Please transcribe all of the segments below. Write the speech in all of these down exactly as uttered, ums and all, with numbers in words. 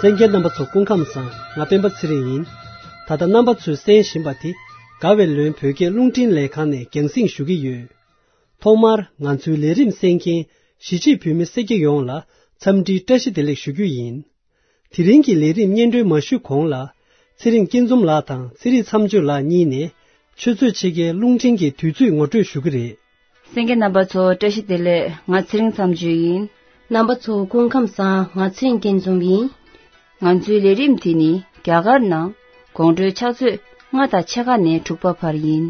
གསན་མཁན་རྣམ་པ་ཚོ་སྐུ་ཁམས་བཟང་། ང་སྤེན་པ་ཚེ་རིང་ཡིན། ད་ལྟ་རྣམ་པ་ཚོས་གསན་བཞིན་པ་དེ་དགའ་བའི་ལོན་བོད་སྐད་རླུང་འཕྲིན་ལས་ཁང་ནས་རྒྱང་སྲིང་ཞུ་གི་ཡོད། ཐོག་མར་ང་ཚོའི་ལས་རིམ་གསན་མཁན་གཞིས་བྱེས་བོད་མི་སེར་སྐྱ་ཡོངས་ལ་འཚམས་འདྲིའི་བཀྲ་ཤིས་བདེ་ལེགས་ཞུ་རྒྱུ་ཡིན། དེ་རིང་གི་ལས་རིམ་སྙན་སྒྲོན་མ་ཞུས་གོང་ལ། ཚེ་རིང་སྐྱིད་འཛོམས་ལགས་དང་ཚེ་རིང་མཚམས་གཅོད་ལགས་གཉིས་ནས་ཆུ་ཚོད་ཕྱེད་ཀའི་རླུང་འཕྲིན་གྱི་དུས་ཚོད་ངོ་སྤྲོད་ཞུ་གི་རེད། གསན་མཁན་རྣམ་པ་ཚོ་བཀྲ་ཤིས་བདེ་ལེགས། ང་ཚེ་རིང་མཚམས་གཅོད་ཡིན། རྣམ་པ་ཚོ་སྐུ་ཁམས་བཟང་། ང་ཚེ་རིང་སྐྱིད་འཛོམས་ཡིན། ང་ཚོའི་ལས་རིམ་དེ་ནི་རྒྱ་གར་ནང་དགོང་དྲོའི་ཕྱག་ཚོད་ལྔ་དང་ཕྱེད་ཀ་ནས་དྲུག་པ་བར་ཡིན།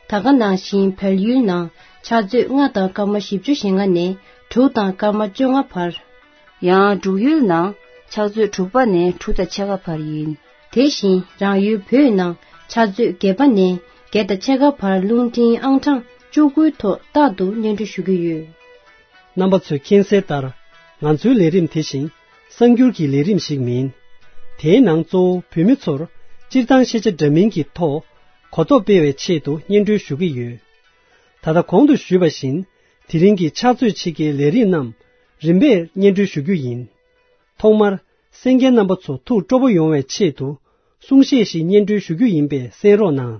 ད་ག་ནང་བཞིན་བལ་ཡུལ་ནང་ཕྱག་ཚོད་ལྔ་དང་སྐར་མ་བཞི་བཅུ་ཞེ་ལྔ་ནས་དྲུག་དང་སྐར་མ་བཅོ་ལྔ་བར། ཡང་འབྲུག་ཡུལ་ནང་ཕྱག་ཚོད་དྲུག་པ་ནས་དྲུག་དང་ཕྱེད་ཀ་བར་ཡིན། དེ་བཞིན་རང་ཡུལ་བོད་ནང་ཕྱག་ཚོད་བརྒྱད་པ་ནས་བརྒྱད་དང་ཕྱེད་ཀ་བར་རླུང་འཕྲིན་ཨང་གྲངས་བཅུ་དགུའི་ཐོག་རྟག་ཏུ་སྙན་སྒྲོན་ཞུ་གི་ཡོད། རྣམ་པ་ཚོས་མཁྱེན་གསལ་ལྟར། ང་ཚོའི་ལས་རིམ་དེ་བཞིན་གསར་འགྱུར་གྱི་ལས་རིམ་ཞིག་མིན། དེའི་ནང་གཙོ་བོ་བོད་མི་ཚོར་སྤྱིར་བཏང་ཤེས་བྱ་འདྲ་མིན་གྱི་ཐོག་གོ་རྟོགས་སྤེལ་བའི་ཆེད་དུ་སྙན་སྒྲོན་ཞུ་གི་ཡོད། ད་ལྟ་གོང་དུ་ཞུས་པ་བཞིན། དེ་རིང་གི་ཕྱག་ཚོད་ཕྱེད་ཀའི་ལས་རིམ་རྣམས་རིམ་པས་སྙན་སྒྲོན་ཞུ་རྒྱུ་ཡིན། ཐོག་མར་གསན་མཁན་རྣམ་པ་ཚོ་ཐུགས་སྤྲོ་པོ་ཡོང་བའི་ཆེད་དུ་གསུང་བཤད་ཞིག་སྙན་སྒྲོན་ཞུ་རྒྱུ་ཡིན་པས་གསན་རོགས་གནང་།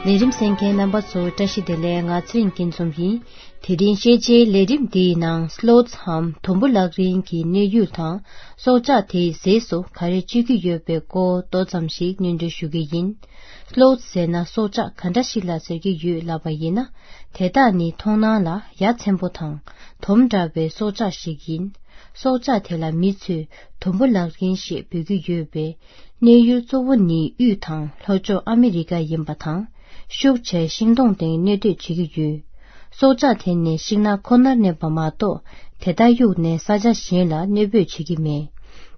ལས་རིམ་གསན་མཁན་རྣམ་པ་ཚོ་བཀྲ་ཤིས་བདེ་ལེགས། ང་ཚེ་རིང་སྐྱིད་འཛོམས་ཡིན། དེ་རིང་ཤེས་བྱའི་ལས་རིམ་འདིའི་ནང་སློ་ཚམ་དུམ་བུ་ལག་རིང་གི་གནས་ཡུལ་དང་སྲོག་ཆགས་དེའི་ཟས་སུ་ག་རེ་སྤྱོད་ཀྱི་ཡོད་པའི་སྐོར་ཏོག་ཙམ་ཞིག་སྙན་སྒྲོན་ཞུ་གི་ཡིན། སློ་ཟེར་ན་སྲོག་ཆགས་ག་འདྲ་ཞིག་ལ་ཟེར་གྱི་ཡོད་ལབ་པ་ཡིན་ན། དེ་དག་ནི་མཐོང་སྣང་ལ་ཡ་མཚན་པོ་དང་དོམ་འདྲ་བའི་སྲོག་ཆགས་ཤིག་ཡིན། སྲོག་ཆགས་དེ་ལ་མི་ཚོས་དུམ་བུ་ལག་རིང་ཞེས་འབོད་ཀྱི་ཡོད་པས། གནས་ཡུལ་གཙོ་བོ་ནི་དབུས་དང་ལྷོ་ཕྱོགས་ཨ་མི་རི་ཀ་ཡིན་པ་དང་། ཤུགས་ཆེ་ཤིང་སྡོང་སྟེང་གནས་སྡོད་བྱེད་ཀྱི་ཡོད། སྲོག་ཆགས་དེ་ནི་ཤིང་ནགས་ཁོ་ནར་གནས་པ་མ་གཏོགས། དེ་དག་གཡུགས་ནས་ས་ཆ་གཞན་ལ་གནས་སྤོས་བྱེད་ཀྱི་མེད།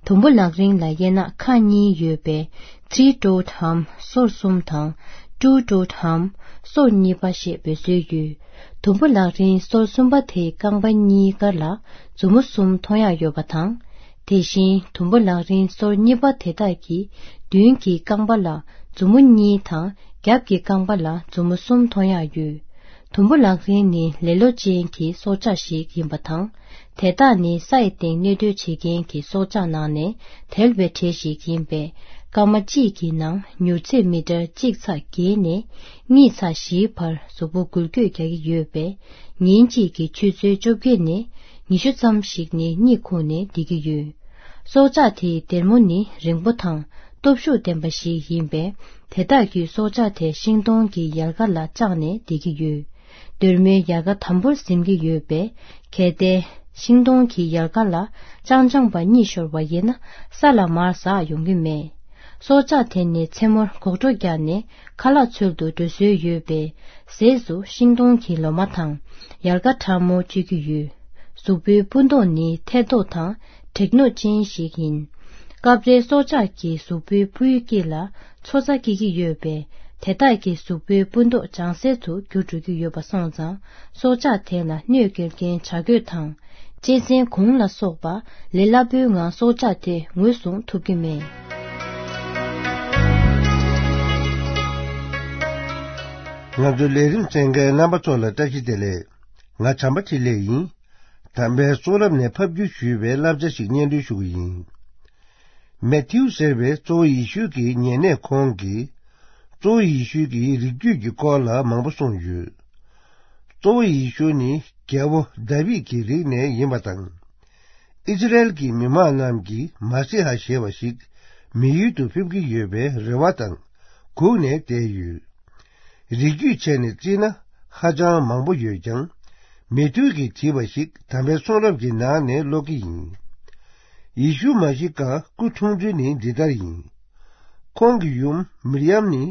དུམ་བུ་ལག་རིང་ལ་དབྱེ་ན་ཁག་གཉིས་ཡོད་པས། three toed hump སོར་གསུམ་དང་། two toed hump སོར་གཉིས་པ་ཞེས་འབོད་སྲོལ་ཡོད། དུམ་བུ་ལག་རིང་སོར་གསུམ་པ་དེའི་རྐང་པ་གཉིས་ཀ་ལ་མཛུབ་མོ་གསུམ་མཐོང་ཡག་ཡོད་པ་དང་། དེ་བཞིན་དུམ་བུ་ལག་རིང་སོར་གཉིས་པ་དེ་དག་གི་མདུན་གྱི་རྐང་པ་ལ་མཛུབ་མོ་གཉིས་དང་རྒྱབ་ཀྱི་རྐང་པ་ལ་མཛུབ་མོ་གསུམ་མཐོང་ཡག་ཡོད། དུམ་བུ་ལག་རིང་ནི་ལེ་ལོ་ཅན་གྱི་སྲོག་ཆགས་ཤིག་ཡིན་པ་དང་། དེ་དག་ནི་ས་ཡི་སྟེང་གནས་སྡོད་བྱེད་མཁན་གྱི་སྲོག་ཆགས་ནང་ནས་དལ་བའི་གྲས་ཤིག་ཡིན་པས། སྐར་མ་གཅིག་གི་ནང་མྱུར་ཚད་མི་ཊར་གཅིག་ཚེག་བརྒྱད་ནས་གཉིས་ཚེག་བཞིའི་བར་གཟུགས་པོ་འགུལ་སྐྱོད་རྒྱག་གི་ཡོད་པས། ཉིན་གཅིག་གི་ཆུ་ཚོད་བཅོ་བརྒྱད་ནས་ཉི་ཤུ་ཙམ་ཞིག་ནི་གཉིད་ཁུག་ནས་བསྡད་ཀྱི་ཡོད། སྲོག་ཆགས་དེའི་སྡེར་མོ་ནི་རིང་པོ་དང་སྟོབས་ཤུགས་ལྡན་པ་ཞིག་ཡིན་པས། དེ་དག་གི་སྲོག་ཆགས་དེ་ཤིང་སྡོང་གི་ཡལ་ག་ལ་བཅགས་ནས་བསྡད་ཀྱི་ཡོད། སྡེར་མོའི་ཡལ་ག་དམ་པོར་ཟིན་གྱི་ཡོད་པས། གལ་ཏེ་ཤིང་སྡོང་གི་ཡལ་ག་ལ་རྐྱང་རྐྱང་པ་གཉིད་ཤོར་བ་ཡིན་ན། ས་ལ་མར་ཟག་ཡོང་གི་མེད། སྲོག་ཆགས་དེ་ནི་མཚན་མོར་གོག་འགྲོ་རྒྱག་ནས་ཁ་ལག་འཚོལ་དུ་འགྲོ་སྲོལ་ཡོད་པས། ཟས་སུ་ཤིང་སྡོང་གི་ལོ་མ་དང་ཡལ་ག་ཕྲ་མོ་སྤྱོད་ཀྱི་ཡོད། གཟུགས་པོའི་སྤུ་མདོག་ནི་ཐལ་མདོག་དང་བྲེག་ནོག་ཅན་ཞིག་ཡིན། སྐབས་རེ་སྲོག་ཆགས་ཀྱི་གཟུགས་པོའི་སྤུའི་དཀྱིལ་ལ་ཚོ་ཚ་སྐྱེ་གི་ཡོད་པས། དེ་དག་གི་གཟུགས་པོའི་སྤུ་མདོག་ལྗང་སེར་དུ་འགྱུར་འགྲོ་གི་ཡོད་པ་སོང་ཙང་། སྲོག་ཆགས་དེ་ལ་གནོད་སྐྱེལ་མཁན་བྱ་རྒོད་དང་། གཅན་གཟན་གུང་ལ་སོགས་པ་ལས་སླ་པོའི་ངང་སྲོག་ཆགས་དེ་ངོས་བཟུང་ཐུབ་ཀྱི་མེད། ང་ཚོའི་ལས་རིམ་གསན་མཁན་རྣམ་པ་ཚོ་ལ་བཀྲ་ཤིས་བདེ་ལེགས། ང་བྱམས་པ་འཕྲིན་ལས་ཡིན། དམ་པའི་གསུང་རབ་ནས་ཕབ་བསྒྱུར་ཞུས་པའི་བསླབ་བྱ་ཞིག་སྙན་སྒྲོན་ཞུ་གི་ཡིན། མེ་ཐིའུ་ཟེར་བའི་གཙོ་བོ་ཡེ་ཤུ་གི་ཉེ་གནས་ཁོང་གིས། གཙོ་བོ་ཡེ་ཤུ་གི་རིགས་རྒྱུད་ཀྱི་སྐོར་ལ་མང་པོ་གསུངས་ཡོད། གཙོ་བོ་ཡེ་ཤུ་ནི་རྒྱལ་པོ་དཱ་བིད་ཀྱི་རིགས་ནས་ཡིན་པ་དང་། ཨིས་ར་ཨེལ་གྱི་མི་མང་རྣམས་ཀྱིས་མ་སི་ཧ་ཞེས་པ་ཞིག་མི་ཡུལ་དུ་ཕེབས་ཀྱི་ཡོད་པའི་རེ་བ་དང་སྒུག་ནས་བསྡད་ཡོད། རིགས་རྒྱུད་བྱས་ནས་བརྩིས་ན་ཧ་ཅང་མང་པོ་ཡོད་ཀྱང་། མེ་ཐིའུ་གིས་བྲིས་པ་ཞིག་དམ་པའི་གསུང་རབ་ཀྱི་ནང་ནས་ཀློག་གི་ཡིན། ཡེ་ཤུ་མ་ཤི་ཀ་སྐུ་འཁྲུངས་ཚུལ་ནི་འདི་ལྟར་ཡིན། ཁོང་གི་ཡུམ་མིར་ཡམ་ནི་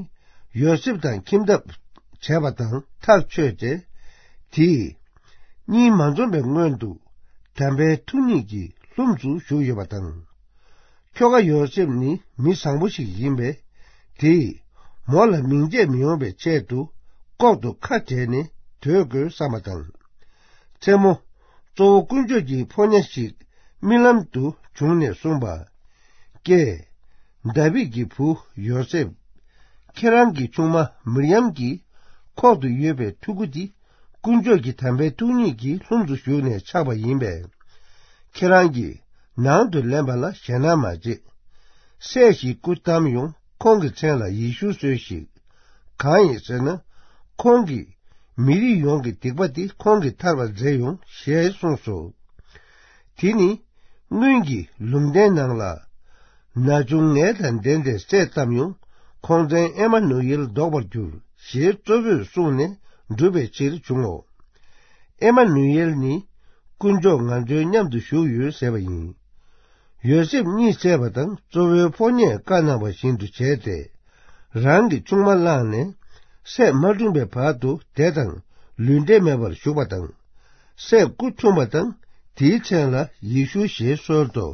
ཡོ་སེབ་དང་ཁྱིམ་ཐབ་བྱས་པ་དང་ཐག་ཆོད་དེ། དེས་གཉིད་མ་འཛོམས་པའི་སྔོན་དུ་དམ་པའི་ཐུགས་ཉིད་ཀྱི་ལྷུམས་སུ་ཞུགས་ཡོད་པ་དང་། ཁྱོ་ག་ཡོ་སེབ་ནི་མི་བཟང་པོ་ཞིག་ཡིན་པས། དེས་མོ་ལ་མིང་རྒྱས་མི་ཡོང་བའི་ཆེད་དུ་ལྐོག་ཏུ་ཁ་བྲལ་ནས་སྡོད་དགོས་བསམ་པ་དང་། མཚན་མོ་གཙོ་བོ་དཀོན་མཆོག་གི་ཕོ་ཉ་ཞིག་རྨི་ལམ་དུ་བྱུང་ནས་གསུངས་པ། ཀྱེ། དཱ་བིད་ཀྱི་བུ་ཡོ་སེབ། ཁྱེད་རང་གི་ཆུང་མ་མིར་ཡམ་གྱི་ཁོག་ཏུ་ཡོད་པའི་ཕྲུ་གུ་འདི། དཀོན་མཆོག་གི་དམ་པའི་ཐུགས་ཉིད་ཀྱི་ལྷུམས་སུ་ཞུགས་ནས་ཆགས་པ་ཡིན་པས། ཁྱེད་རང་གིས་ནང་དུ་ལེན་པ་ལ་ཞེད་སྣང་མ་བྱེད། སྲས་ཤིག་སྐུ་བལྟམས་ཡོང་། ཁོང་གི་མཚན་ལ་ཡེ་ཤུ་གསོལ་ཞིག། གང་ཡིན་ཟེར་ན། ཁོང་གིས་མི་རིགས་ཡོངས་ཀྱི་སྡིག་པ་དེ་ཁོང་གིས་ཐར་བར་མཛད་ཡོང་ཞེས་གསུངས་སོ། དེ་ནི་སྔོན་གྱི་ལུང་བསྟན་ནང་ལ། ན་ཆུང་ངལ་དང་ལྡན་ཏེ་སྲས་བལྟམས་ཡོང་། ཁོང་མཚན་ཨེ་མ་ནུ་ཨེལ་འདོགས་པར་འགྱུར་ཞེས་གཙོ་བོས་གསུངས་ནས་འགྲུབ་པའི་ཕྱིར་བྱུང་ངོ་། ཨེ་མ་ནུ་ཨེལ་ནི་དཀོན་མཆོག་ང་ཚོའི་མཉམ་དུ་བཞུགས་ཡོད་ཟེར་བ་ཡིན། ཡོ་སེབ་གཉིད་སད་པ་དང་གཙོ་བོའི་ཕོ་ཉས་བཀའ་གནང་བ་བཞིན་དུ་བྱས་ཏེ། རང་གི་ཆུང་མ་བླངས་ནས་སྲས་མ་འཁྲུངས་པའི་བར་དུ་བདེ་དང་ལུས་འབྲེལ་མེད་པར་བཞུགས་པ་དང་། སྲས་སྐུ་འཁྲུངས་པ་དང་དེའི་མཚན་ལ་ཡེ་ཤུ་ཞེས་གསོལ་ཏོ།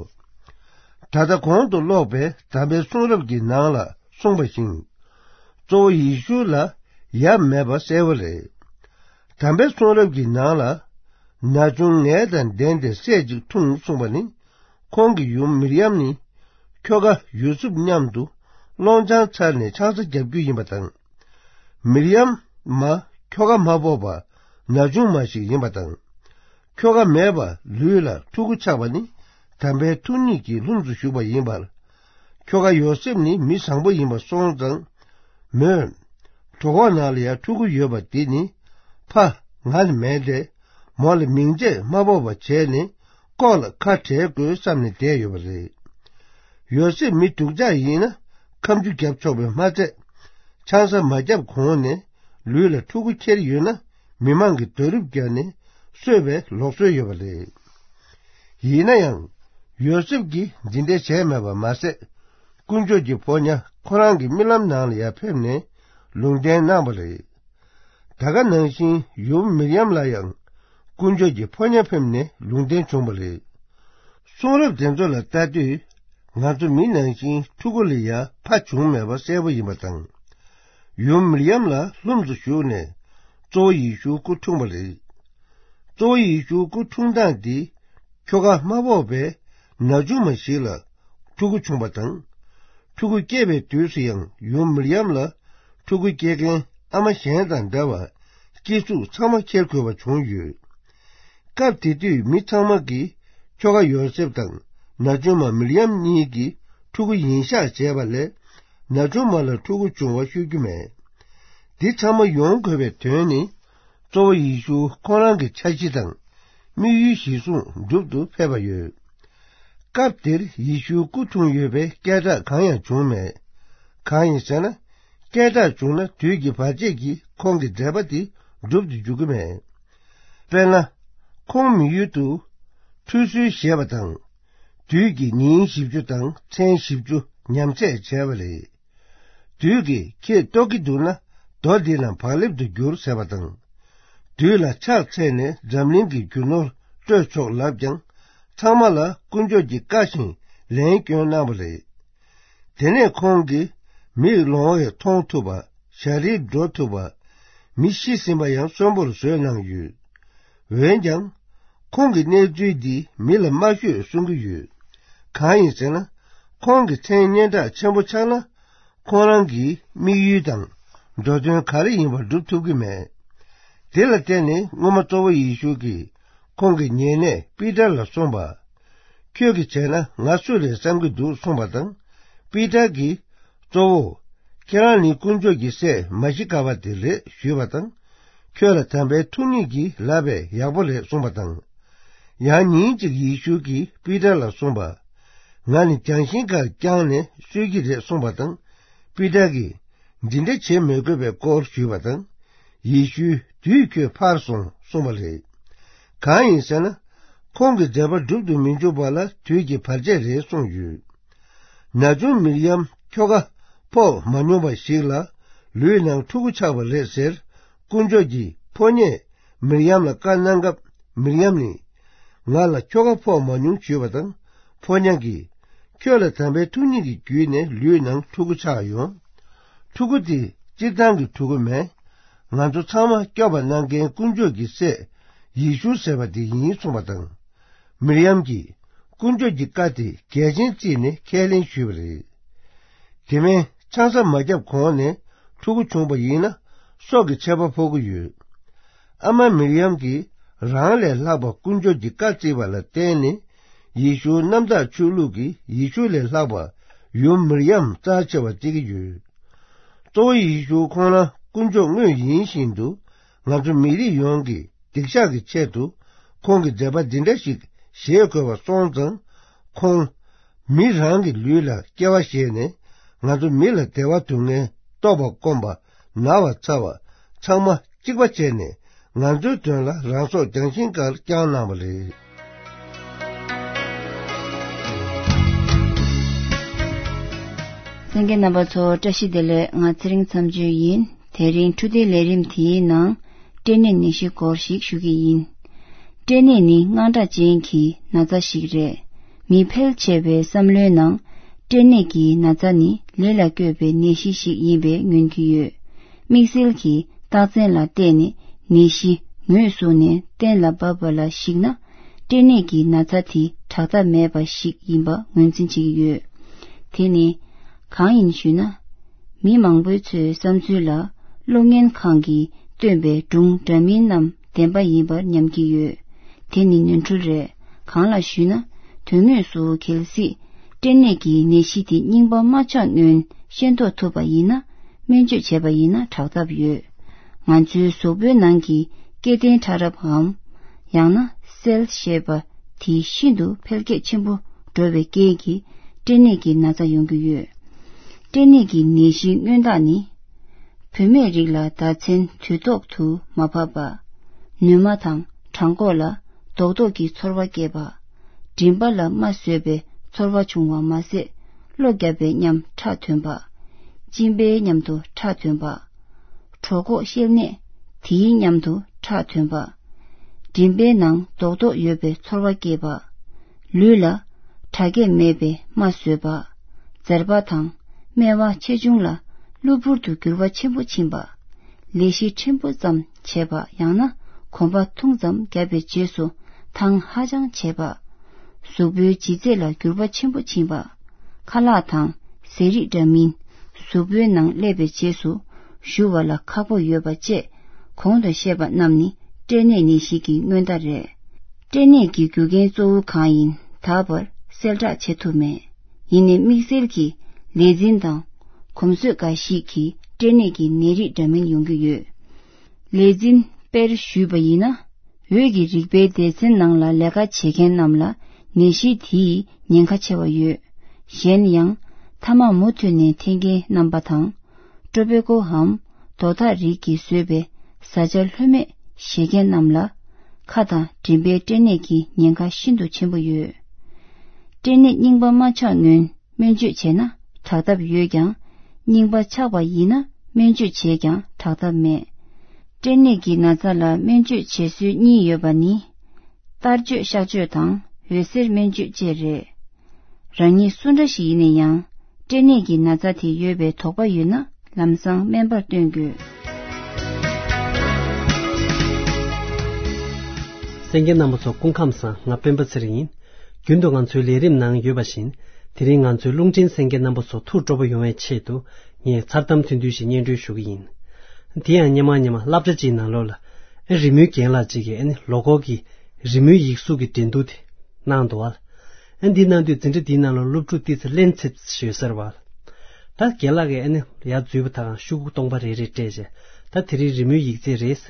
ད་ལྟ་གོང་དུ་ཀློག་པའི་དམ་པའི་གསུང་རབ་ཀྱི་ནང་ལ་གསུངས་པ་བཞིན། གཙོ་བོ་ཡེ་ཤུ་ལ་ཡབ་མེད་པ་གསལ་བོ་རེད། དམ་པའི་གསུང་རབ་ཀྱི་ནང་ལ། ན་ཆུང་ངལ་དང་ལྡན་ཏེ་སྲས་གཅིག་འཁྲུངས་གསུངས་པ་ནི། ཁོང་གི་ཡུམ་མིར་ཡམ་ནི། ཁྱོ་ག་ཡོ་སུབ་མཉམ་དུ་སློང་ཆང་ཚར་ནས་ཆང་ས་རྒྱག་རྒྱུ་ཡིན་པ་དང་། མིར་ཡམ་མ་ཁྱོ་ག་མ་ཕོག་པ་ན་ཆུང་མ་ཞིག་ཡིན་པ་དང་། ཁྱོ་ག་མེད་པ་ལུས་ལ་ཕྲུ་གུ་ཆགས་པ་ནི་དམ་པའི་ཐུགས་ཉིད་ཀྱི་ལྷུམས་སུ་ཞུགས་པ་ཡིན་པར། ཁྱོ་ག་ཡོ་སེབ་ནི་མི་བཟང་པོ་ཡིན་པ་སོང་ཙང་། མོས། གྲོད་ཁོག་ནང་ལ་ཡང་ཕྲུ་གུ་ཡོད་པ་འདི་ནི་ཕ་ང་ལ་མེད་དེ། མོ་ལ་མིང་ཆད་མ་ཕོག་པ་བྱས་ནས་ལྐོག་ལ་ཁ་བྲལ་དགོས་བསམ་ནས་བསྡད་ཡོད་པ་རེད། ཡོ་སེབ་མི་སྡུག་ཅག་ཡིན་ན་ཁ་མཆུ་བརྒྱབ་ཆོག་པས་མ་ཚད། ཆང་ས་མ་བརྒྱབ་གོང་ནས་ལུས་ལ་ཕྲུ་གུ་ཁྱེར་ཡོད་ན་མི་མང་གིས་རྡོ་རིབ་བརྒྱབ་ནས་གསོད་པའི་ལུགས་སྲོལ་ཡོད་པ་རེད། ཡིན་ན་ཡང་། ཡོ་སེབ་ཀྱིས་འདི་འདྲ་བྱས་མེད་པ་མ་ཟད། དཀོན་མཆོག་གི་ཕོ་ཉ་ཁོ་རང་གི་རྨི་ལམ་ནང་ལ་ཡང་ཕེབས་ནས་ལུང་བསྟན་གནང་བ་རེད། ད་ག་ནང་བཞིན་ཡུམ་མིར་ཡམ་ལ་ཡང་དཀོན་མཆོག་གི་ཕོ་ཉ་ཕེབས་ནས་ལུང་བསྟན་བྱུང་བ་རེད། གསུང་རབ་དེ་ཚོ་ལ་ལྟ་དུས། ང་ཚོ་མི་ནང་བཞིན་ཕྲུ་གུ་ལ་ཡང་ཕ་བྱུང་མེད་པ་གསལ་པོ་ཡིན་པ་དང་། ཡུམ་མིར་ཡམ་ལ་ལྷུམས་སུ་ཞུགས་ནས་གཙོ་བོ་ཡེ་ཤུ་སྐུ་འཁྲུངས་པ་རེད། གཙོ་བོ་ཡེ་ཤུ་སྐུ་འཁྲུངས་སྟངས་འདི་ཁྱོ་ག་མ་ཕོག་པའི་ན་ཆུང་མ་ཞིག་ལ་ཕྲུ་གུ་བྱུང་བ་དང་། ཕྲུ་གུ་སྐྱེས་པའི་དུས་སུ་ཡང་ཡུམ་མིར་ཡམ་ལ་ཕྲུ་གུ་སྐྱེ་མཁན་ཨ་མ་གཞན་དང་འདྲ་བར་སྐྱེ་གཟུགས་ཚང་མ་འཁྱེར་དགོས་པ་བྱུང་ཡོད། སྐབས་དེ་དུས་མི་ཚང་མ་གིས་ཁྱོ་ག་ཡོ་སེབ་དང་ན་ཆུང་མ་མིར་ཡམ་གཉིས་ཀྱི་ཕྲུ་གུ་ཡིན་ཤག་བྱས་པ་ལས་ན་ཆུང་མ་ལ་ཕྲུ་གུ་བྱུང་བ་ཤོད་རྒྱུ་མེད། འདི་ཚང་མ་ཡོང་དགོས་པའི་དོན་ནི། གཙོ་བོ་ཡེ་ཤུ་ཁོང་རང་གི་འཆར་གཞི་དང་དམིགས་ཡུལ་གཞིར་བཟུང་སྒྲུབ་ཏུ་ཕེབས་པ་ཡོད། སྐབས་དེར་ཡེ་ཤུ་སྐུ་འཁྲུངས་ཡོད་པའི་སྐད་གྲགས་གང་ཡང་བྱུང་མེད། གང་ཡིན་ཟེར་ན། སྐད་གྲགས་བྱུང་ན་དུས་ཀྱི་བར་ཆད་ཀྱིས་ཁོང་གི་མཛད་པ་དེ་སྒྲུབ་ཏུ་འཇུག་གི་མེད། དཔེར་ན། ཁོང་མི་ཡུལ་དུ་ཁྲུས་གསོལ་བཞེས་པ་དང་། དུས་ཀྱི་ཉིན་བཞི་བཅུ་དང་མཚན་བཞི་བཅུ་ཉམས་ཚད་བྱས་པ་རེད། དུས་ཀྱིས་ཁྱེད་ལྟོགས་ཀྱི་འདུག་ན་རྡོ་འདི་རྣམས་བག་ལེབ་ཏུ་བསྒྱུར་ཟེར་བ་དང་། དུས་ལ་ཕྱག་འཚལ་ནས་འཛམ་གླིང་གི་རྒྱུ་ནོར་སྤྲོད་ཆོག་ལབ་ཀྱང་། ཚང་མ་ལ་དཀོན་མཆོག་གི་བཀའ་བཞིན་ལན་བསྐྱོན་གནང་བ་རེད། དེ་ནས་ཁོང་གིས་མིག་ལོང་བས་མཐོང་ཐུབ་པ། ཞ་རིར་འགྲོ་ཐུབ་པ། མི་ཤི་ཟིན་པ་ཡང་གསོན་པོར་བཟོས་གནང་ཡོད། འོན་ཀྱང་། ཁོང་གི་གནས་ཚུལ་འདིས་མི་ལ་མ་ཤོད་གསུང་གི་ཡོད། གང་ཡིན་ཟེར་ན། ཁོང་གི་མཚན་སྙན་གྲགས་ཆེན་པོ་ཆགས་ན། ཁོང་རང་གི་དམིགས་ཡུལ་དང་འགྲོ་དོན་ག་རེ་ཡིན་པ་སྒྲུབ་ཐུབ་ཀྱི་མེད། དེ་ལ་བརྟེན་ནས་སྔོན་མ་གཙོ་བོ་ཡེ་ཤུ་གིས་ཁོང་གི་ཉེ་གནས་པི་ཏར་ལ་གསུངས་པ། ཁྱོད་ཀྱིས་བྱས་ན་ང་སུ་རེད་བསམ་གྱི་འདུག་གསུངས་པ་དང་། པི་ཏར་གྱིས། གཙོ་བོ། ཁྱེད་རང་ནི་དཀོན་མཆོག་གི་སྲས་མ་ཤི་ཀ་བ་དེ་རེད་ཞུས་པ་དང་། ཁྱོད་ལ་དམ་པའི་ཐུགས་ཉིད་ཀྱིས་ལབ་པས་ཡག་པོ་རེད་གསུངས་པ་དང་། ཡང་ཉིན་གཅིག་ཡེ་ཤུ་གིས་པི་ཏར་ལ་གསུངས་པ། ང་ནི་ལྗང་ཤིང་ཁར་བརྐྱངས་ནས་གསོལ་གྱི་རེད་གསུངས་པ་དང་། པི་ཏར་གྱིས། འདི་འདྲ་བྱེད་མི་དགོས་པའི་སྐོར་ཞུས་པ་དང་། ཡེ་ཤུས་དུས་ཁྱོད་ཕར་སོང་གསུངས་པ་རེད། གང་ཡིན་ཟེར་ན། ཁོང་གི་མཛད་པ་སྒྲུབ་ཏུ་མི་འཇུག་པ་ལ་དུས་ཀྱི་བར་ཆད་རེད་གསུངས་ཡོད། ན་ཆུང་མིར་ཡམ་ཁྱོ་ག་ཕོག་མ་མྱོང་བ་ཞིག་ལ་ལུས་ནང་ཕྲུ་གུ་ཆགས་པ་རེད་ཟེར། དཀོན་མཆོག་གི་ཕོ་ཉས་མིར་ཡམ་ལ་བཀའ་གནང་སྐབས་མིར་ཡམ་ནི། ང་ལ་ཁྱོ་ག་ཕོག་མ་མྱོང་ཞུས་པ་དང་། ཕོ་ཉ་གིས། ཁྱོད་ལ་དམ་པའི་ཐུགས་ཉིད་ཀྱི་བརྒྱུད་ནས་ལུས་ནང་ཕྲུ་གུ་ཆགས་ཡོང་། ཕྲུ་གུ་དེ་སྤྱིར་བཏང་གི་ཕྲུ་གུ་མེད། ང་ཚོ་ཚང་མ་སྐྱོབ་པ་གནང་མཁན་དཀོན་མཆོག་གི་སྲས་ཡེ་ཤུ་ཟེར་བ་དེ་ཡིན་གསུངས་པ་དང་། མིར་ཡམ་གྱིས་དཀོན་མཆོག་གི་བཀའ་དེ་གལ་ཆེན་བརྩིས་ནས་ཁས་ལེན་ཞུས་པ་རེད། དེ་མིན་ཆང་ས་མ་བརྒྱབ་གོང་ནས་ཕྲུ་གུ་བྱུང་བ་ཡིན་ན་སྲོག་གི་ཆད་པ་ཕོག་གི་ཡོད། ཨ་མ་མིར་ཡམ་གྱིས་རང་ལས་ལྷག་པ་དཀོན་མཆོག་གི་བཀའ་བརྩིས་པ་ལ་བརྟེན་ནས་ཡེ་ཤུ་གནམ་བདག་ཆོས་ལུགས་ཀྱིས་ཡེ་ཤུ་ལས་ལྷག་པ་ཡུམ་མིར་ཡམ་རྩ་ཆེ་བ་བརྩི་གི་ཡོད། གཙོ་བོ་ཡེ་ཤུ་ཁོང་རང་དཀོན་མཆོག་དངོས་ཡིན་བཞིན་དུ་ང་ཚོ་མི་རིགས་ཡོངས་ཀྱི་སྡིག་བཤགས་ཀྱི་ཆེད་དུ་ཁོང་གི་མཛད་པ་འདི་འདྲ་ཞིག་བཞེས་དགོས་པ་སོང་ཙང་། ཁོང་མི་རང་གི་ལུས་ལ་སྐྱེ་བ་བཞེས་ནས་ང་ཚོ་མི་ལ་བདེ་བ་སྡུག་བསྔལ་ལྟོགས་པ་སྐོམ་པ་ན་བ་ཚ་བ་ཚང་མ་གཅིག་པ་བྱས་ནས་ང་ཚོའི་དོན་ལ་རང་སྲོག་ལྗང་ཤིང་ཁར་བརྐྱངས་གནང་བ་རེད། གསན་མཁན་རྣམ་པ་ཚོ་བཀྲ་ཤིས་བདེ་ལེགས། ང་ཚེ་རིང་མཚམས་གཅོད་ཡིན། དེ་རིང་འཕྲོད་བསྟེན་ལས་རིམ་དེའི་ནང་སྐྲན་ནད་ནད་གཞི་སྐོར་ཞིག་ཞུ་གི་ཡིན། སྐྲན་ནད་ནི་དངངས་སྐྲག་ཅན་གྱི་ན་ཚ་ཞིག་རེད། མི་ཕལ་ཆེ་བའི་བསམ་བློའི་ནང་སྐྲན་ནད་ཀྱི་ན་ཚ་ནི་ལས་ལ་བཀོད་པའི་ནད་གཞི་ཞིག་ཡིན་པའི་ངོས་འཛིན་ཡོད། དམིགས་བསལ་གྱི་རྟགས་མཚན་ལ་བལྟས་ནས་ནད་གཞི་ངོས་བཟུང་ནས་གཏན་ལ་ཕབ་པ་ལ་གཞིགས་ན། སྐྲན་ནད་ཀྱི་ན་ཚ་དེ་དྲག་ཐབས་མེད་པ་ཞིག་ཡིན་པ་ངོས་འཛིན་བྱེད་ཀྱི་ཡོད། དེ་ནི་གང་ཡིན་ཞུས་ན། མི་མང་པོའི་ཚོའི་བསམ་ཚུལ་ལ་གློག་བརྙན་ཁང་གིས་སྟོན་པའི་སྒྲུང་འདྲ་མིན་རྣམས་བདེན་པ་ཡིན་པར་སྙམ་གྱི་ཡོད། དེ་ནི་ནོར་འཁྲུལ་རེད། གང་ལགས་ཞུས་ན། དོན་དངོས་སུ་གལ་སྲིད་སྐྲན་ནད་ཀྱི་ནད་གཞི་དེ་རྙིང་པ་མ་ཆགས་སྔོན་ཤེས་རྟོགས་ཐུབ་པ་ཡིན་ན། སྨན་བཅོས་བྱས་པ་ཡིན་ན་དྲག་ཐབས་ཡོད། ང་ཚོའི་གཟུགས་པོའི་ནང་གི་སྐྱེ་ལྡན་ཕྲ་རབ་འམ། ཡང་ན་སེལ་ཞེས་པ་དེ་ཤིན་ཏུ་འཕེལ་རྒྱས་ཆེན་པོ་འགྲོ་བའི་རྐྱེན་གྱིས་སྐྲན་ནད་ཀྱི་ན་ཚ་ཡོང་གི་ཡོད། སྐྲན་ནད་ཀྱི་ནད་གཞིའི་སྔོན་རྟགས་ནི། བུད་མེད་རིགས་ལ་ཟླ་མཚན་དུས་ཐོག་ཏུ་མ་བབས་པ། ནུ་མ་དང་བྲང་ཁོག་ལ་རྡོག་རྡོག་གི་ཚོར་བ་སྐྱེས་པ། མགྲིན་པ་ལ་རྨ་བཟོས་པའི་ཚོར་བ་བྱུང་བ་མ་ཟད། གློ་བརྒྱབ་པའི་ཉམས་ཁྲག་ཐོན་པ། གཅིན་པའི་མཉམ་དུ་ཁྲག་ཐོན་པ། གྲོད་ཁོག་བཤལ་ནས་དེའི་མཉམ་དུ་ཁྲག་ཐོན་པ། མགྲིན་པའི་ནང་རྡོག་རྡོག་ཡོད་པའི་ཚོར་བ་སྐྱེས་པ། ལུས་ལ་དྲག་སྐྱེད་མེད་པའི་རྨ་བཟོས་པ། མཛེར་པ་དང་སྨེ་བ་ཆེ་ཆུང་ལ་གློ་བུར་དུ་འགྱུར་བ་ཆེན་པོ་ཕྱིན་པ། ལས་གཞི་ཕྲན་བུ་ཙམ་བྱས་པ་ཡང་ན་གོམ་པ་ཐུང་ཙམ་བརྒྱབ་པའི་རྗེས་སུ་ཐང་ཧ་ཅང་བྱས་པ། གཟུགས་པོའི་ལྗིད་ཚད་ལ་འགྱུར་བ་ཆེན་པོ་ཕྱིན་པ། ཁ་ལག་དང་ཟས་རིགས་འདྲ་མིན་གཟུགས་པོའི་ནང་སླེབས་པའི་རྗེས་སུ་ཞུ་བ་ལ་ཁག་པོ་ཡོད་པ་བཅས་གོང་དུ་བཤད་པ་རྣམས་ནི་སྐྲན་ནད་ནད་གཞི་གི་སྔོན་རྟགས་རེད། སྐྲན་ནད་ཀྱི་རྒྱུ་རྐྱེན་གཙོ་བོ་གང་ཡིན་ད་བར་གསལ་བསྒྲགས་བྱེད་ཐུབ་མེད། ཡིན་ནའི་དམིགས་བསལ་གྱི་ལས་འཛིན་དང་གོམས་སྲོལ་འགའ་ཞིག་གིས་སྐྲན་ནད་ཀྱི་ནད་རིགས་འདྲ་མིན་ཡོང་གི་ཡོད། ལས་འཛིན་དཔེར་ཞུས་པ་ཡིན་ན། འོད་ཀྱི་རིག་པའི་སྡེ་ཚན་ནང་ལ་ལས་ཀ་བྱེད་མཁན་རྣམས་ལ་ནད་གཞི་དེའི་ཉེན་ཁ་ཆེ་བ་ཡོད། གཞན་ཡང་། ཐ་མག་མུ་མཐུད་ནས་འཐེན་མཁན་རྣམ་པ་དང་། ཀྲོ་པེ་ཀོའམ་དོ་ཐག་རིགས་ཀྱིས་བཟོས་པའི་བཟའ་བཅའ་ལྷོད་མེད་བཞེས་མཁན་རྣམས་ལ། ཁ་དང་མགྲིན་པའི་སྐྲན་ནད་ཀྱི་ཉེན་ཁ་ཤིན་ཏུ་ཆེན་པོ་ཡོད། སྐྲན་ནད་རྙིང་པ་མ་ཆགས་སྔོན་སྨན་བཅོས་བྱས་ན་དྲག་ཐབས་ཡོད་ཀྱང་། རྙིང་པ་ཆགས་པ་ཡིན་ན་སྨན་བཅོས་བྱས་ཀྱང་དྲག་ཐབས་མེད། སྐྲན་ནད་ཀྱི་ན་ཚ་ལ་སྨན་བཅོས་བྱེད་སྲོལ་གཉིས་ཡོད་པ་ནི། གཏར་བཅོས་གཤག་བཅོས་དང་འོད་ཟེར་སྨན་བཅོས་བཅས་རེད། རང་ཉིད་སུ་འདྲ་ཞིག་ཡིན་ན་ཡང་། སྐྲན་ནད་ཀྱི་ན་ཚ་དེ་ཡོད་པའི་དོགས་པ་ཡོད་ན་ལམ་སང་སྨན་པར་སྟོན་དགོས། གསན་མཁན་རྣམ་པ་ཚོ་སྐུ་ཁམས་བཟང་། ང་སྤེན་པ་ཚེ་རིང་ཡིན། རྒྱུན་དུ་ང་ཚོའི་ལས་རིམ་ནང་ཡོད་པ་བཞིན། དེ་རིང་ང་ཚོའི་རླུང་འཕྲིན་གསན་མཁན་རྣམ་པ་ཚོ་ཐུགས་སྤྲོ་པོ་ཡོང་བའི་ཆེད་དུ། ངས་མཚར་གཏམ་ཚིག་བདུན་ཞིག་སྙན་སྒྲོན་ཞུ་གི་ཡིན། དེ་ཡང་སྔོན་མ་སྔོན་མ་སློབ་གྲྭ་གཅིག་ནང་ལོགས་ལ། ཨེ་རི་མོའི་རྒན་ལགས་གཅིག་གིས་ཨ་ནི་ལོ་འཁོར་གྱི་རི་མོའི་ཡིག་གཟུགས་ཀྱི་འགྲན་བསྡུར་དེ་གནང་འདུག་བ། ཨ་འདི་གནང་དུས་འཛིན་གྲྭ་འདིའི་ནང་ལ་སློབ་ཕྲུག་ཏོག་ཙམ་གླེན་ཚེབ་ཡོད་ས་རེད་བ། ད་རྒན་ལགས་ཀྱིས་ཨ་ནི་ཡར་འཛུལ་བ་དང་ཤོག་གུ་སྟོང་པ་རེ་རེ་སྤྲད་བྱས། ད་དེ་རིང་རི་མོའི་ཡིག་ཚད་རེད།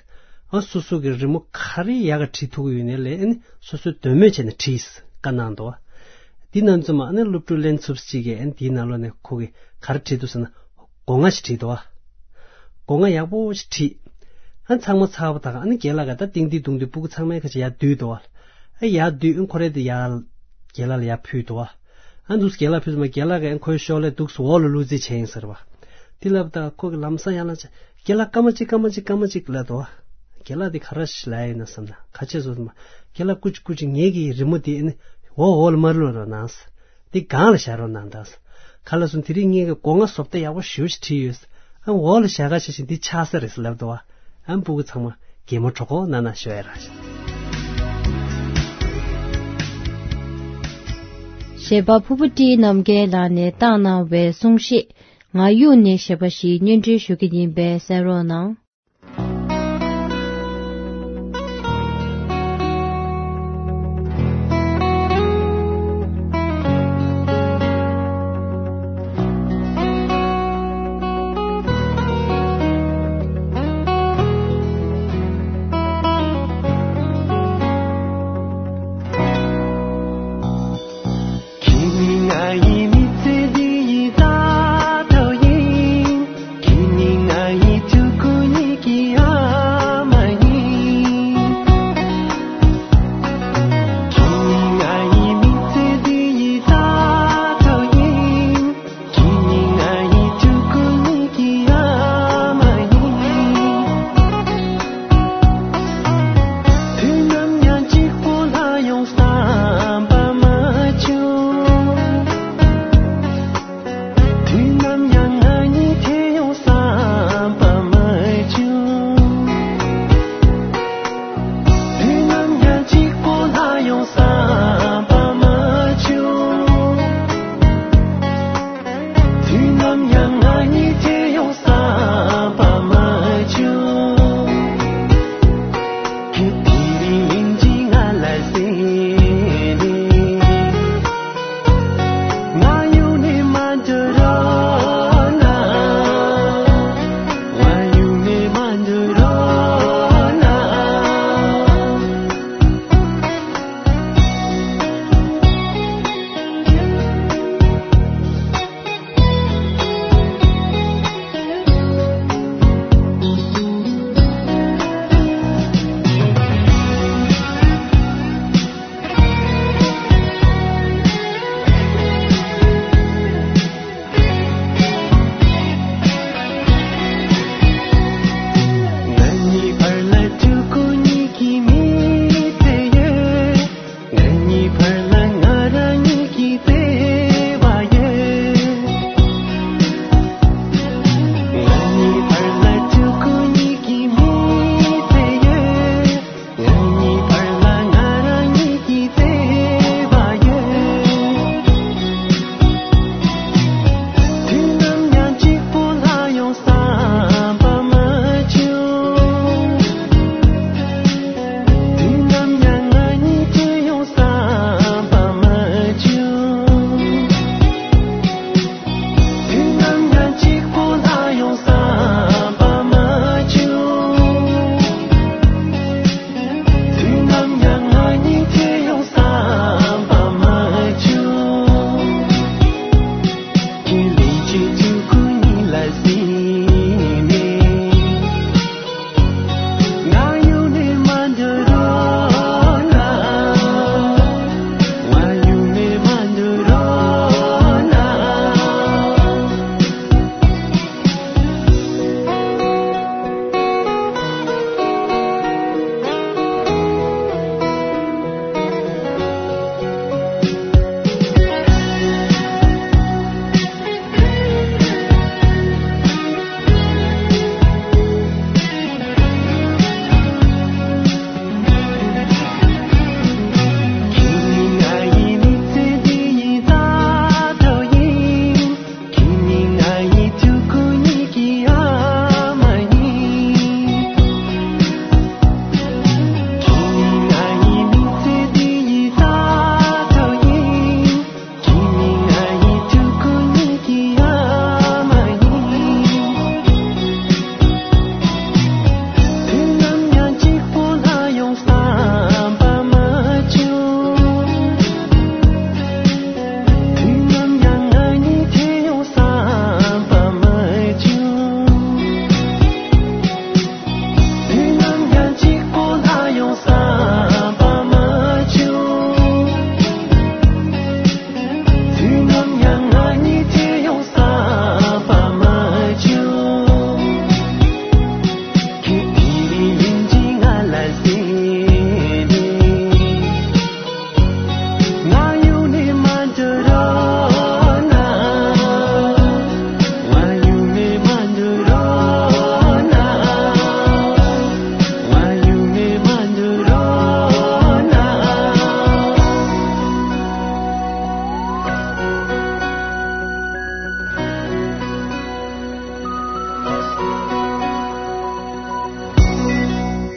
ཨ་སོ་སོ་གི་རི་མོ་ག་རེ་ཡག་ག་བྲིས་ཐུབ་ཀྱི་ཡོད་ནའི་ལས་ཨ་ནི་སོ་སོའི་འདོད་མོས་བྱས་ནས་བྲིས་བཀའ་གནང་འདུག་བ། འདི་ནང་ཚུད་མ་ཨ་ནི་སློབ་ཕྲུག་གླེན་ཚེབ་ཅིག་གིས་ཨ་ནི་འདིའི་ནང་ལོགས་ནས་ཁོ་གིས་ག་རེ་བྲིས་འདུག་ཟེར་ན། སྒོ་ང་ཞིག་བྲིས་འདུག་བ། སྒོ་ང་ཡག་པོ་ཞིག་བྲིས། ཨ་ཚང་མ་ཚར་བ་དང་ཨ་ནི་རྒན་ལགས་ཀྱིས་ད་ཏིང་ཏིང་ཏུང་ཏུ་སྤུ་གུ་ཚང་མའི་ཁ་ཆེ་ཡར་བསྡུས་འདུག་བ། ཨ་ཡར་བསྡུས་ཨ་ཁོ་རེ་དེ་ཡར་རྒན་ལགས་ལ་ཡར་ཕུལ་འདུག་བ། ཨ་འདུག་རྒན་ལགས་ཕུལ་ཙམ་རྒན་ལགས་ཀྱིས་ཨ་ཁོའི་ཤོག་ལྷེ་འདུག་སེ་འོག་ལ་བླུགས་རྩིས་བྱས་ཡིན་ཟེར་བ། དེ་ལབ་ད་ཁོ་གིས་ལམ་སང་ཡར་ལངས་བྱས་རྒན་ལགས་སྐར་མ་གཅིག་སྐར་མ་གཅིག་སྐར་མ་གཅིག་ལབ་འདུག་བ། རྒན་ལགས་དེ་ག་རེ་ཞིག་ལབ་ཡིན་ན་བསམ་ན་ག་ཆེ་བཟོ་ཙམ་རྒན་ལགས་སྐུ་མཁྱེན་སྐུ་མཁྱེན་ངེད་ཀྱི་རི་མོ་དེ་ཨ་ནི་འོག་འོག་ལ་མ་བླུགས་རོགས་གནང་། འདི་སྒང་ལ་བཞག་རོགས་གནང་དང་། ག་ལ་སོང་དེ་རིང་ངེད་ཀྱི་སྒོ་ང་བཟོ་ལྟ་ཡག་པོ་ཞེ་པོ་ཞིག་བྲིས་ཡོད། ཨ་འོག་ལ་བཞག་ག་བྱས་ཤིང་འདི་ཆགས་ས་རེད་ཟེར་ལབ་འདུག་བ། ཨ་སྤུ་གུ་ཚང་མ་གད་མོ་བྲོ་ཁོ་ན་ན་ཤོད་ཡ་ར། གཞས་པ་ཕུར་བུ་བཀྲིས་རྣམ་རྒྱལ་ལགས་ནས་བཏང་གནང་བའི་གསུང་བཤད། ང་གཡུག་ནས་ཞེས་པ་ཞིག་སྙན་སྒྲོན་ཞུ་གི་ཡིན་པས་གསན་རོགས་གནང་།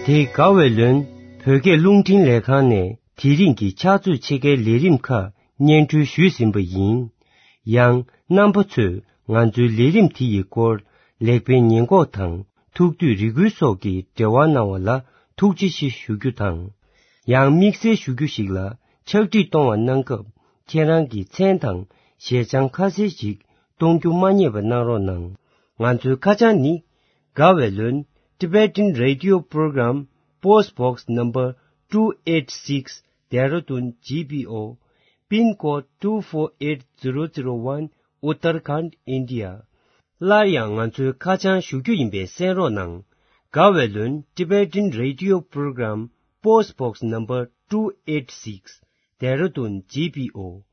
དེ་དགའ་བའི་ལོན་བོད་སྐད་རླུང་འཕྲིན་ལས་ཁང་ནས་དེ་རིང་གི་ཕྱག་ཚོད་ཕྱེད་ཀའི་ལས་རིམ་ཁག་སྙན་སྒྲོན་ཞུས་ཟིན་པ་ཡིན། ཡང་རྣམ་པ་ཚོས་ང་ཚོའི་ལས་རིམ་དེ་ཡི་སྐོར་ལེགས་སྤེལ་ཉེས་འགོག་དང་ཐུགས་འདོད་རེ་སྐུལ་སོགས་ཀྱི་འབྲེལ་བ་གནང་བ་ལ་ཐུགས་རྗེ་ཆེ་ཞུ་རྒྱུ་དང་། ཡང་དམིགས་བསལ་ཞུ་རྒྱུ་ཞིག་ལ་ཕྱག་བྲིས་གཏོང་བ་གནང་སྐབས་ཁྱེད་རང་གི་མཚན་དང་ཞལ་བྱང་ཁ་གསལ་ཞིག་གཏོང་རྒྱུ་མ་བསྙེལ་བ་གནང་རོགས་གནང་། ང་ཚོའི་ཁ་བྱང་ནི། དགའ་བའི་ལོན། Tibetan Radio Program, Post Box Number two eight six, Dehradun G P O, Pin Code two four eight zero zero one, Uttarakhand, India. སླར་ཡང་ང་ཚོའི་ཁ་བྱང་ཞུ་རྒྱུ་ཡིན་པས་གསན་རོགས་གནང་། དགའ་བའི་ལོན། Tibetan Radio Program, Post Box Number two eight six, Dehradun G P O,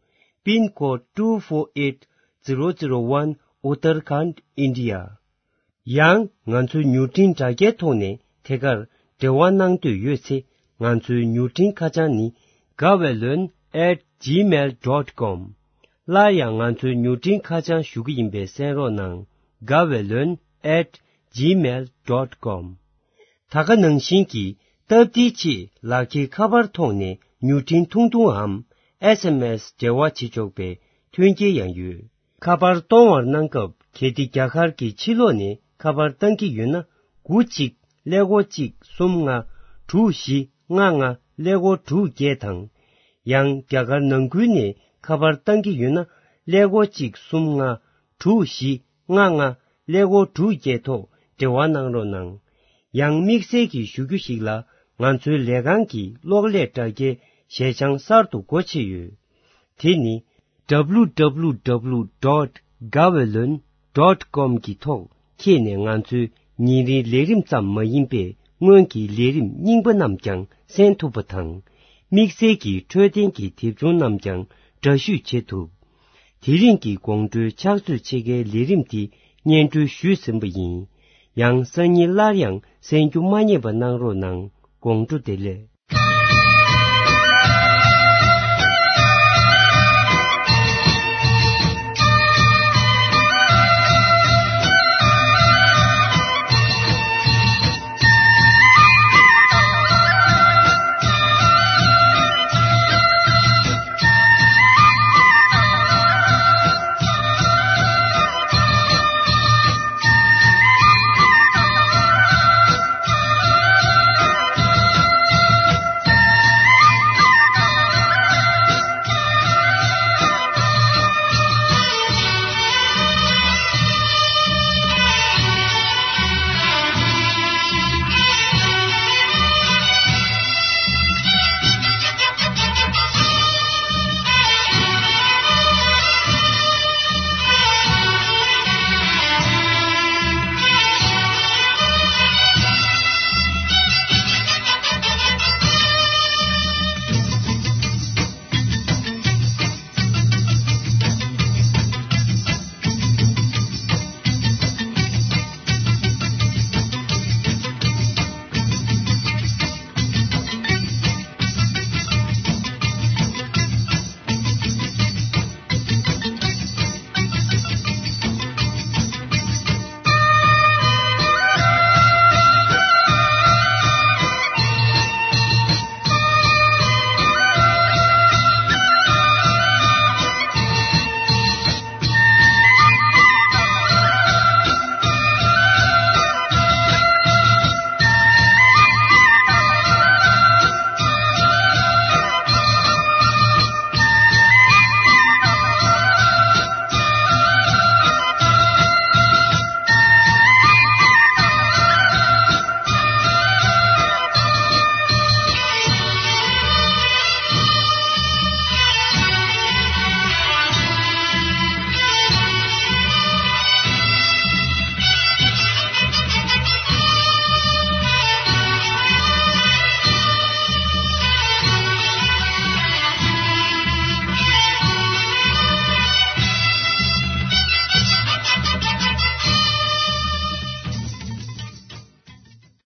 Pin Code two four eight zero zero one, Uttarakhand, India. ཡང་ང་ཚོའི་མྱུར་འཕྲིན་དྲ་རྒྱའི་ཐོག་ནས་ཐད་ཀར་འབྲེལ་བ་གནང་འདོད་ཡོད་ཚེ་ང་ཚོའི་མྱུར་འཕྲིན་ཁ་བྱང་ནི། དགའ་བའི་ལོན་at gmail dot com. སླར་ཡང་ང་ཚོའི་མྱུར་འཕྲིན་ཁ་བྱང་ཞུ་གི་ཡིན་པས་གསན་རོགས་གནང་། དགའ་བའི་ལོན་at gmail dot com. ད་ག་ནང་བཞིན་གྱི་སྟབས་བདེའི་ཆེད་ལག་འཁྱེར་ཁ་པར་ཐོག་ནས་མྱུར་འཕྲིན་ཐུང་ཐུང་འམ་S M S འབྲེལ་བ་བྱེད་ཆོག་པའི་མཐུན་རྐྱེན་ཡང་ཡོད། ཁ་པར་གཏོང་བར་གནང་སྐབས་གལ་ཏེ་རྒྱ་གར་གྱི་ཕྱི་ལོགས་ནས་ཁ་པར་བཏང་གི་ཡོད་ན། དགུ་གཅིག་ཀླད་ཀོར་གཅིག་གསུམ་ལྔ་དྲུག་བཞི་ལྔ་ལྔ་ཀླད་ཀོར་དྲུག་བརྒྱད་དང་། ཡང་རྒྱ་གར་ནང་ཁུལ་ནས་ཁ་པར་བཏང་གི་ཡོད་ན། ཀླད་ཀོར་གཅིག་གསུམ་ལྔ་དྲུག་བཞི་ལྔ་ལྔ་ཀླད་ཀོར་དྲུག་བརྒྱད་ཐོག་འབྲེལ་བ་གནང་རོགས་གནང་། ཡང་དམིགས་བསལ་གྱི་ཞུ་རྒྱུ་ཞིག་ལ་ང་ཚོའི་ལས་ཁང་གི་གློག་ཀླད་དྲ་རྒྱའི་ཞལ་བྱང་གསར་དུ་སྒོ་ཕྱེ་ཡོད། དེ་ནི། W W W dot gawaylon dot com གི་ཐོག་འཁྱེར་ནས་ང་ཚོའི་ཉིན་རེའི་ལས་རིམ་ཙམ་མ་ཡིན་པའི་སྔོན་གྱི་ལས་རིམ་རྙིང་པ་རྣམས་ཀྱང་གསན་ཐུབ་པ་དང་། དམིགས་བསལ་གྱི་འཕྲོད་བསྟེན་གྱི་དེབ་ཆུང་རྣམས་ཀྱང་འདྲ་བཤུས་བྱེད་ཐུབ། དེ་རིང་གི་དགོང་དྲོའི་ཕྱག་ཚོད་ཕྱེད་ཀའི་ལས་རིམ་འདི་སྙན་སྒྲོན་ཞུས་ཟིན་པ་ཡིན། ཡང་སང་ཉིན་སླར་ཡང་གསན་རྒྱུ་མ་བསྙེལ་བ་གནང་རོགས་གནང་། དགོང་དྲོ་བདེ་ལེགས།